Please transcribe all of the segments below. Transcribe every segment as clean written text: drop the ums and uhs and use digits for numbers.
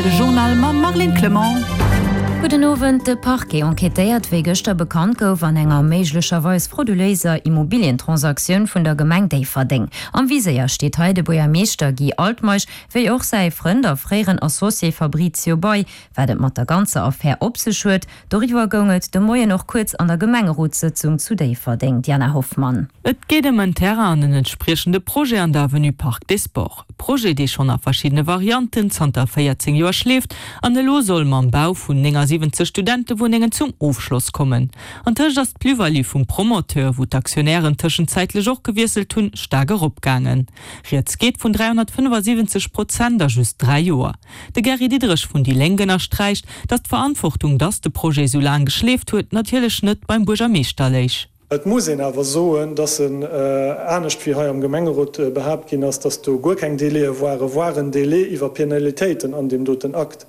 Aktuell, de Journal mam Marlene Clement. Gudden Owend. De Parquet enquêtéiert, wéi gëschter bekannt gouf, an enger méiglecherweis frauduléiser Immobilientransaktioun vun der Gemeng Déifferdeng. Am Viséier steet hei de Buergermeeschter Guy Altmeisch, wéi och säi Frënd a fréieren Associé Fabrizio Bei. Wat et mat der ganzer Affär op sech huet, Doriwwer goung et de Moien och kuerz an der Gemengerotssëtzung zu Déifferdeng. Diana Hoffmann. Et geet ëm en Terrain an en entspriechende Projet an der Avenue Parc des Sports. E Projet, dee schonn a verschiddene Varianten zanter 14 Joer schleeft an elo soll mam Bau vun 79 Studentewunnengen zum Ofschloss kommen. Antëscht ass d'Plus-value vum Promoteur, wou d'Aktionären tëschenzäitlech och gewiesselt hunn, staark eropgaangen. Rieds geet vun 375 Prozent a just 3 Joer. De Gary Diderich vun déi Lénk ënnersträicht, datt d'Verantwortung, datt de Projet esou laang geschleeft huet, natierlech net beim Buergermeeschter léich. Et muss een awer soen, dass en, anescht wéi hei am Gemengerot behaapt ginn ass, dass do guer keng Délaië waren, waren Délai iwwer Penalitéiten an deem doten Akt.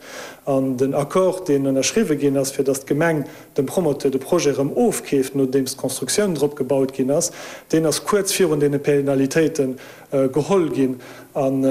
An den Accord, deen ënnerschriwwe ginn ass, fir dass d'Gemeng dem Promoteur de Projet erëm ofkeeft, nodeems d'Constructioun drop gebaut ginn ass, deen ass kuerz virun deene Penalitéiten geholl ginn an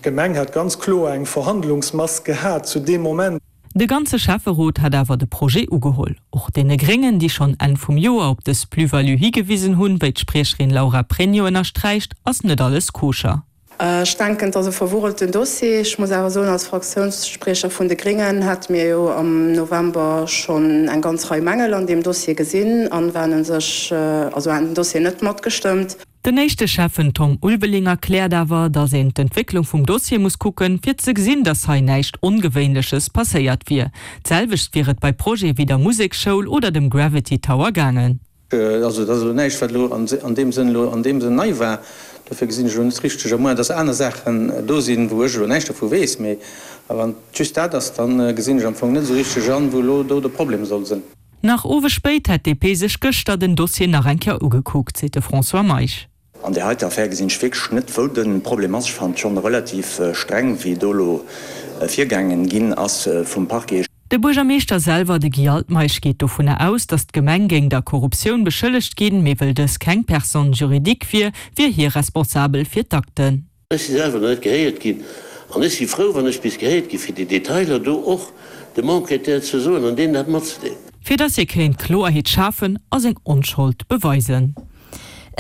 d'Gemeng hätt ganz kloer eng Verhandlungsmass gehat zu deem Moment. De ganze Schäfferot hat awer de Projet ugeholl. Och deene Gréngen, déi schonn Enn vum Joer op dës Plus-value higewisen hunn, wéi d'Spriecherin Laura Pregno ënnersträicht, ass net alles koscher. Ech denken, et ass e verwurrelten Dossier. Ech muss awer soen, als Fraktiounsspriecher vun de Gréngen hate mir jo am November schonn eng ganz Rei Mängel an deem Dossier gesinn an waren u sech, also haten den Dossier net matgestëmmt. Den éischte Schäffen Tom Ulveling erkläert awer, datt een d'Entwécklung vum Dossier muss kucken, fir ze gesinn, datt hei näischt Ongewéinleches passéiert wier. D'selwecht wier et bei Projete wéi der Museksschoul oder dem Gravity Tower gaangen. Also et ass elo näischt, wat elo an deem Sënn elo an deem Sënn nei war. Dofir gesinn ech elo net richteg, à moins dass aner Saachen do sinn, wou ech elo näischt dervu weess, mee wann et just dat ass, da gesinn ech am Fong net esou richteg an, wou elo do de Problem soll sinn. Nach owes spéit hätt d'DP sech gëschter den Dossier nach eng Kéier ugekuckt, seet de François Meisch. An där heiter Affär gesinn ech wierklech net, wou de Problem ass. Ech fannen et schonn relativ streng, wéi do elo virgaangen ginn ass vum Parquet. De Buergermeeschter selwer, de Guy Altmeisch, geet dovunner aus, datt d'Gemeng géing der Korruptioun beschëllegt ginn, mee wëll dës keng Personne juridique wier, wier hie responsabel fir d'Akten. Ech si selwer nach net gehéiert ginn an ech si frou, wann ech bis gehéiert gi fir déi Detailer do och dem Enquêteur ze soen an deenen dat matzedeelen. Fir dass hie kéint Kloerheet schafen a seng Onschold beweisen.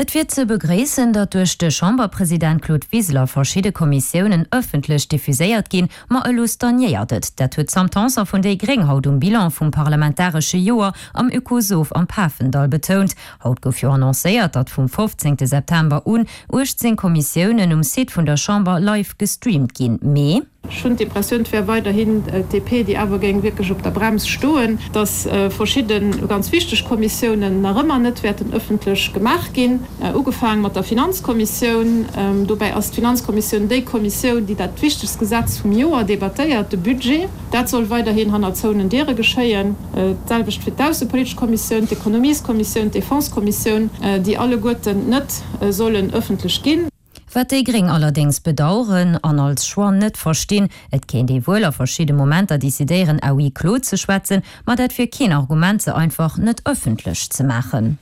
Et wier ze begréissen, datt duerch de Chamberpresident Claude Wiseler verschidde Kommissiounen ëffentlech diffuséiert ginn, ma elo stagnéiert et. Dat huet d'Sam Tanson vun déi gréng haut um Bilan vum parlamentaresche Joer am Oekosoph am Pafendall betount. Haut gouf jo annoncéiert, datt vum 15 September un 18 Kommissiounen um Site vun der Chamber live gestreamt ginn. Mee. Ech hunn d'Impressioun, et wär weiderhin d'DP, déi awer géing wierklech op der Brems stoen, datt verschidde ganz wichteg Kommissiounen nach ëmmer net wäerten ëffentlech gemaach ginn, ugefaang mat der Finanzkommissioun. Dobäi ass d'Finanzkommissioun déi Kommissioun, déi dat wichtegst Gesetz vum Joer debattéiert, de Budget. Dat soll weiderhin hanner zouenen Diere geschéien. D'selwecht fir d'aussepolitesch Kommissioun, d'Ekonomieskommissioun, d'Defensekommissioun, déi alleguerten net sollen ëffentlech ginn. Wat déi gréng allerdéngs bedaueren an als Choix net verstinn, Et kéint ee wuel a verschidde Momenter decidéieren à huis clos ze schwätzen, ma dat wier keen Argument se einfach net ëffentlech ze maachen.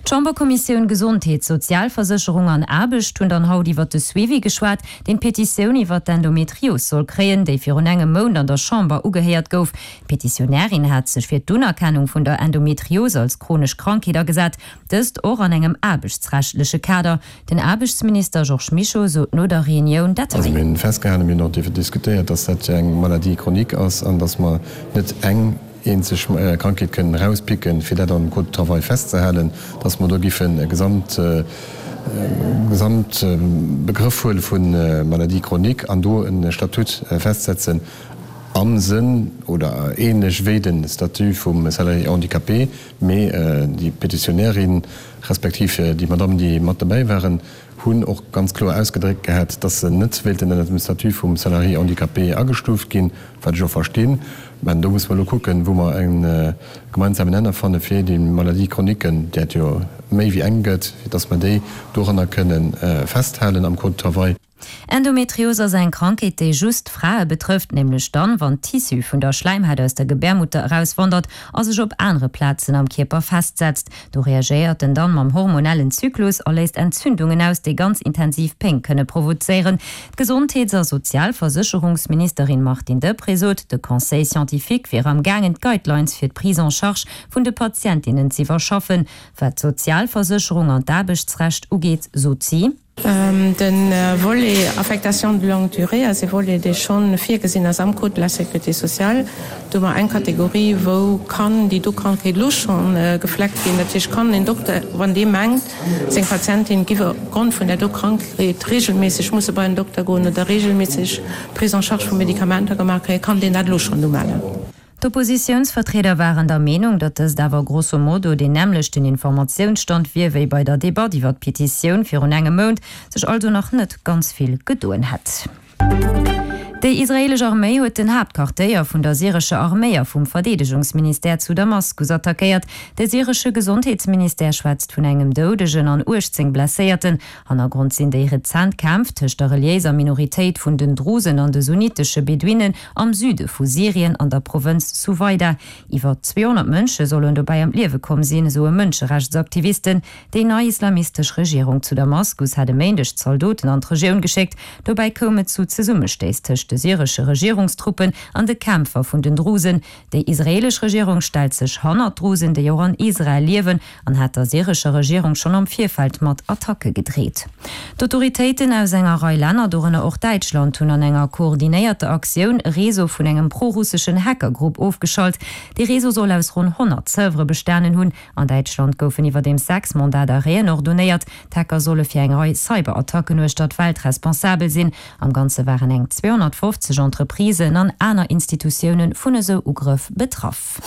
D'Chamberkommissioun Gesondheet, Sozialversécherung an Aarbecht hunn dann haut iwwert de Suivi geschwat, deen d'Petitioun iwwert d'Endometrios soll kréien, déi virun engem Mount an der Chamber ugehéiert gouf. D'Petitionärin hat sech fir d'Unerkennung vun der Endometrios als chronesch Krankheet agesat, dëst och an engem aarbechtsrechtleche Kader. Den Aarbechtsminister Georges Mischo sot no der Reunioun dat Also hei. mir hunn festgehalen, mir hunn och dierfen diskutéiert, dass dat eng Maladie chronique ass an dass mer net eng eenzeg Krankheet kënnen erauspicken, fir dat am Code du travail festzehalen, dass mer do giffen e Gesamt, Gesamtbegrëff huele vu Maladie chronique an do e Statut festsetzen am Sënn oder ähnlech wéi de Statut vum Salarié handicapé. Mee déi Petitionärin, respektiv déi Madame, déi mat dobäi waren, hunn och ganz kloer ausgedréckt gehat, dass se net wéilten ënnert dem Statut vum Salarié handicapé agestuuft ginn, wat ech och verstinn. Mä do musse mer elo kucken, wou mer e gemeinsamen Nenner fanne fir déi Maladie-chroniquen, där et jo méi wéi eng gëtt, fir dass mer déi doranner kënne festhalen am Code du travail. Endometrios ass eng Krankheet, déi just Frae betrëfft, nämlech dann, wann Tissu vun der Schläimhaut aus der Gebärmutter erauswandert a sech op anere Plazen am Kierper festsetzt. Do reagéiert en dann mam hormonellen Zyklus a léist Entzündungen aus, déi ganz intensiv Péng kënne provozéieren. D'Gesondheets a Sozialversécherungsministerin Martine Deprez sot, de Conseil scientifique wier am gaangen d'Guidelines fir d'Prise en charge vun de Patientinnen z'iwwerschaffen. Wat d'Sozialversécherung an d'Aarbechtsrecht ugeet, sot si. De Volet Affectation de longue durée ass e Volet, dee scho virgesinn ass am Code de la sécurité sociale. Do hu mer eng Kategorie, wou kann déi do Krankheet elo scho gefleckt ginn. Dat heescht, kann en Dokter, wann dee mengt, seng Patientin giff opgrond vun där do Krankheet regelméisseg musse bei en Dokter goen oder regelméisseg Prise en charge vu Medikamenter gemaach kréien, kann deen dat elo schonn umellen. D'Oppositiounsvertrieder waren der Meenung, datt dëst awer grosso modo deen nämmlechten Informatiounsstand wier wéi bei der Debatt iwwer d'Petitioun virun engem Mount, sech also nach net ganz vill gedoen hätt. Déi israeelesch Arméi huet den Haaptquartéier vun der syrescher Arméi a vum Verdeedegungsministère zu Damaskus attackéiert. De syresche Gesondheetsministère schwätzt vun engem Doudegen an 18 Blesséierten. Hannergrond sinn déi rezent Kämpf tëscht der reliéiser Minoritéit vun den Drusen an de sunnitesche Beduinen am Süde vu Syrien an der Provënz Suwaida. Iwwer 200 Mënsche sollen dobäi ëm d'Liewe komm sinn, soe Mënscherechtsaktivisten. Déi nei islamistesch Regierung zu Damaskus hat e Méindeg Zaldoten an d'Regioun geschéckt. Dobäi koum et zu Zesummestéiss tëscht de syresche Regierungstruppen an de Kämpfer vun den Drusen. Déi israeelesch Regierung stellt sech hannert d'Drusen, déi och an Israel liewen, an hat der syrescher Regierung schonn am Virfeld mat Attacke gedreet. D'Autoritéiten aus enger Rei Länner, dorënner och Däitschland, hunn an enger koordinéierter Aktioun e Réseau vun engem pro-russeschen Hackergrupp ofgeschalt. Dee Réseau soll aus ronn 100 Servere bestanen hunn. An Däitschland goufen iwwerdeems 6 Mandat d'arrêten ordonéiert. D'Hacker solle fir eng Rei Cyberattacken uechter d'Welt responsabel sinn. Am Ganze waren eng 250 Entreprisen an aner Institutioune vun esou Ugrëff betraff.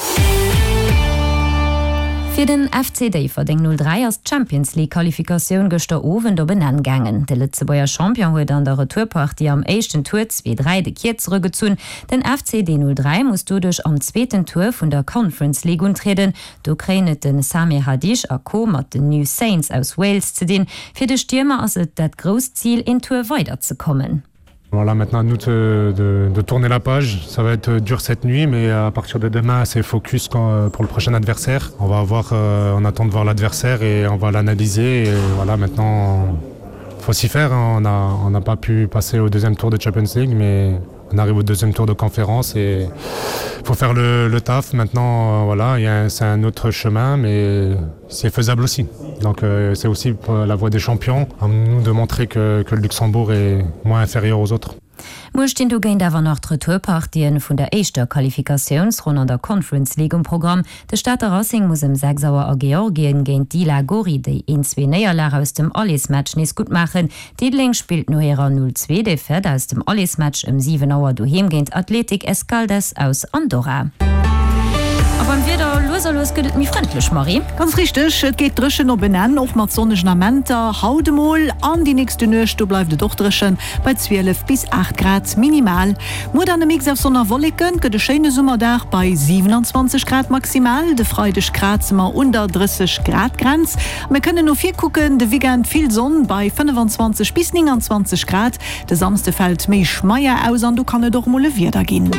Fir den FC Déifferdeng 03 ass d'Champions League Qualifikatioun gëschter Owend op en Enn gaangen. De Lëtzebuerger Champion huet an der Retourpartie am éischten Tour 2, 3 de Kierzere gezunn. Den FC D 03 muss doduerch am zweeten Tour vun der Conference League untrieden. Do kréien et de Samir Hadich a Co mat den New Saints aus Wales ze dinn. Fir de Stiermer ass et dat grousst Zil een Tour weider ze kommen. Voilà, maintenant à nous de, de, de tourner la page. Ça va être dur cette nuit, mais à partir de demain, c'est focus quand, euh, pour le prochain adversaire. On va avoir, euh, on attend de voir l'adversaire et on va l'analyser. Et voilà, maintenant, faut s'y faire. Hein. On n'a on n'a pas pu passer au deuxième tour de Champions League, mais on arrive au deuxième tour de conférence et faut faire le, le taf. Maintenant, euh, voilà, c'est un autre chemin, mais c'est faisable aussi. Donc euh, c'est aussi la voie des champions à nous de montrer que, que le Luxembourg est moins inférieur aux autres. Muer stinn dogéint awer nach d'Retourpartien vun der éischter Qualifikatiounsronn an der Conference League um Programm. De Stater Racing muss ëm 6 Auer a Georgien géint Dila Gori déi een zwee Néierlag aus dem Allersmatch nees gutt maachen. Diddeleng spillt no hirer 0, 2 Defaite aus dem Allersmatch ëm 7 Auer doheem géint Athletic Escaldes aus Andorra. A beim Wieder, lues a lues gëtt et méi frëndlech, Marie. Ganz richteg, et geet dréchen op en Enn, och mat sonnegen Amenter haut emol. An déi nächste Nuecht, do bleift et och dréchen bei 12 bis 8 Grad minimal. Muer dann e Mix aus Sonn a Wolleken, et gëtt e schéine Summerdag bei 27 Grad maximal. De Freideg kraze mer un der 30 Grad Grenz. Mir kënnen no vir kucken, de Weekend vill Sonn bei 25 bis 29 Grad. De Samsde fält méi schmeier aus an do kann et och mol e Wieder ginn.